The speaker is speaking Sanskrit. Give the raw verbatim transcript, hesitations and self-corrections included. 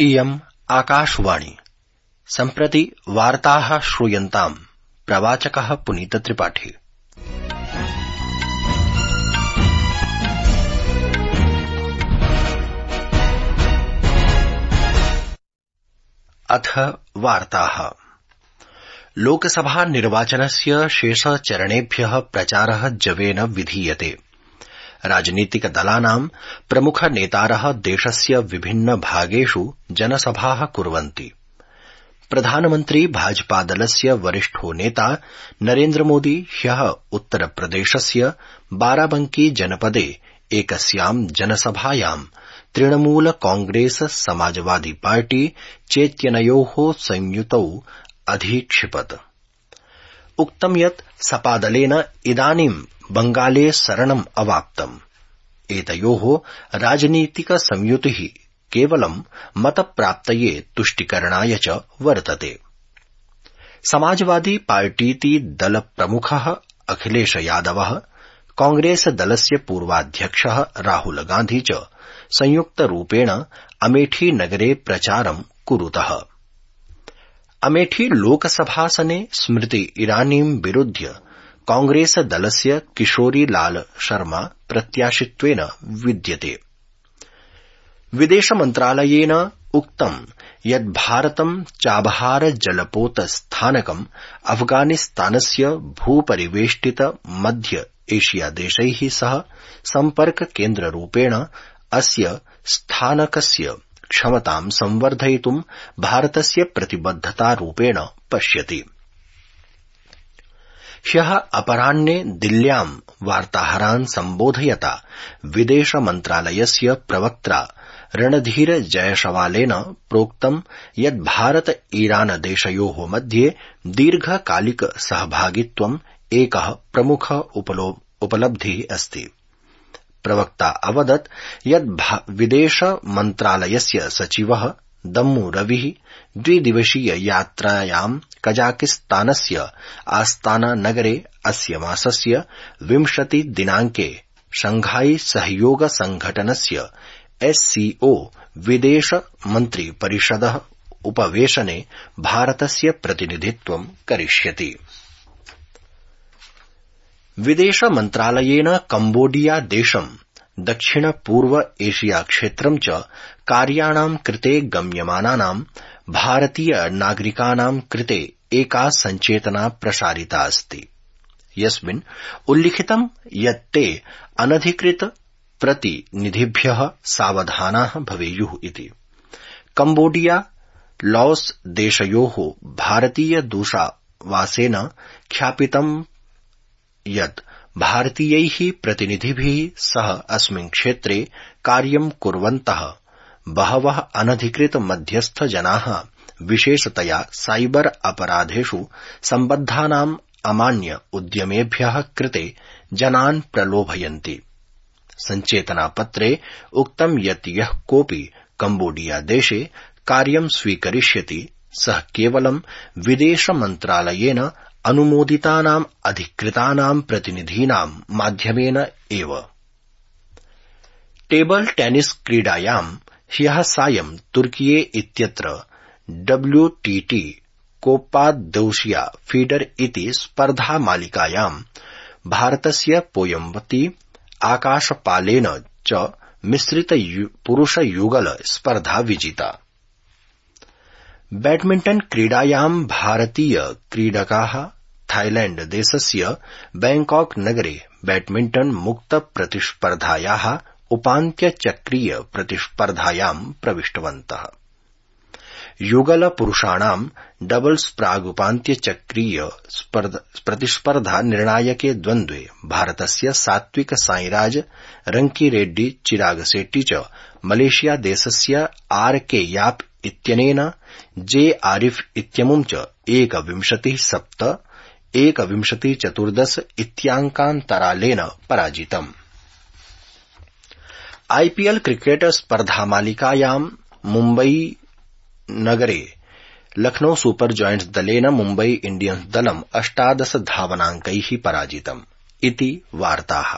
इयम् आकाशवाणी। सम्प्रति वार्ताः श्रूयन्ताम्। प्रवाचकः पुनीत त्रिपाठी। अथ वार्ताः। लोकसभा निर्वाचनस्य शेषचरणेभ्यः प्रचारः जवेन विधीयते। राजनीतिकदलानां प्रमुखनेतारः देशस्य विभिन्न भागेषु जनसभाः कुर्वन्ति। प्रधानमन्त्री भाजपादलस्य वरिष्ठो नेता नरेन्द्रमोदी ह्यः उत्तरप्रदेशस्य बाराबंकी जनपदे एकस्यां जनसभायां तृणमूल कांग्रेस समाजवादी पार्टी चेत्यनयोः संयुतौ अधीक्षिपत्। उक्तं यत् सपादलेन इदानीं बंगाले शरणम् अवाप्तम्। एतयोः राजनीतिक संयुतिः केवलं मतप्राप्तये तुष्टिकरणाय च वर्तते। समाजवादी पार्टीति दलप्रमुखः अखिलेश यादवः, कांग्रेस दलस्य पूर्वाध्यक्षः राहुल गांधी च संयुक्तरूपेण अमेठी नगरे प्रचारं कुरुतः। अमेठी लोकसभासने स्मृति ईरानीं विरुध्य कांग्रेस दलस्य किशोरी लाल शर्मा प्रत्याशित्वेन विद्यते। विदेशमन्त्रालयेन उक्तं यत् भारतं चाबहार जलपोत स्थानकं अफगानिस्तानस्य भूपरिवेष्टित मध्य एशिया देशैः सह सम्पर्क केन्द्ररूपेण अस्य स्थानकस्य क्षमतां संवर्धयितुं भारतस्य प्रतिबद्धतारूपेण पश्यति। ह्यः अपराह्ने दिल्ल्यां वार्ताहरान् सम्बोधयता विदेशमन्त्रालयस्य प्रवक्त्रा रणधीर जयसवालेन प्रोक्तं यत् भारत ईरान देशयोः मध्ये दीर्घकालिक सहभागित्वम् एकः प्रमुख उपलब्धिः अस्ति। प्रवक्ता अवदत् यत् विदेशमन्त्रालयस्य सचिवः दम्मू रविः द्विदिवसीय यात्रायां कजाकिस्तानस्य आस्ताना नगरे अस्य मासस्य विंशति दिनांके शंघाई सहयोग संघटनस्य एससीओ विदेश मन्त्री परिषदः उपवेशने भारतस्य प्रतिनिधित्वं करिष्यति। विदेश मन्त्रालयेन कम्बोडिया देशं दक्षिण पूर्व एशिया क्षेत्रं च कार्याणां कृते गम्यमानानां भारतीय नागरिकाणां कृते एका सञ्चेतना प्रसारिता अस्ति, यस्मिन् उल्लिखितं यत् ते अनधिकृत प्रतिनिधिभ्यः सावधानाः भवेयुः इति। कम्बोडिया लाओस देशयोः भारतीय दूतावासेन ख्यापितं यत् भारतीयैः प्रतिनिधिभिः सह अस्मिन् क्षेत्रे कार्यं कुर्वन्तः बहवः अनधिकृत मध्यस्थ जनाः विशेषतया साइबर अपराधेषु सम्बद्धानाम् अमान्य उद्यमेभ्यः कृते जनान् प्रलोभयन्ति। सञ्चेतनापत्रे उक्तं यत् यः कोऽपि कम्बोडिया देशे कार्यं स्वीकरिष्यति सः केवलं विदेशमन्त्रालयेन अनुमोदितानाम् अधिकृतानां प्रतिनिधीनां माध्यमेन एव। टेबल टेनिस क्रीडायां ह्यः सायं तुर्कीये इत्यत्र डब्ल्यूटीटी कोप्पादोशिया फीडर इति स्पर्धामालिकायां भारतस्य पोयम्बती आकाशपालेन च मिश्रित पुरुषयुगल स्पर्धा विजिता। बैडमिंटन क्रीडायां भारतीय क्रीडकाः थाईलैंड देशस्य बैंकॉक नगरे बैडमिंटन मुक्त प्रतिस्पर्धायाः उपान्त्यचक्रीय प्रतिस्पर्धायां प्रविष्टवन्तः। युगल पुरुषाणां डबल्स प्रागुपान्त्यचक्रीय प्रतिस्पर्धा निर्णायके द्वन्द्वे भारतस्य सात्विक साईराज रंकीरेड्डी चिराग शेट्टी च मलेशिया देशस्य आर के याप इत्यनेन जे आरिफ इत्यमुं च एकविंशति सप्त एकविंशति चतुर्दश इत्याङ्कान्तरालेन पराजितम्। आईपीएल क्रिकेट स्पर्धामालिकायां मुम्बई नगरे लखनऊ सुपर जायंट्स दलेन मुम्बई इंडियन्स दलम् अष्टादश धावनाङ्कैः पराजितम् इति वार्ताः।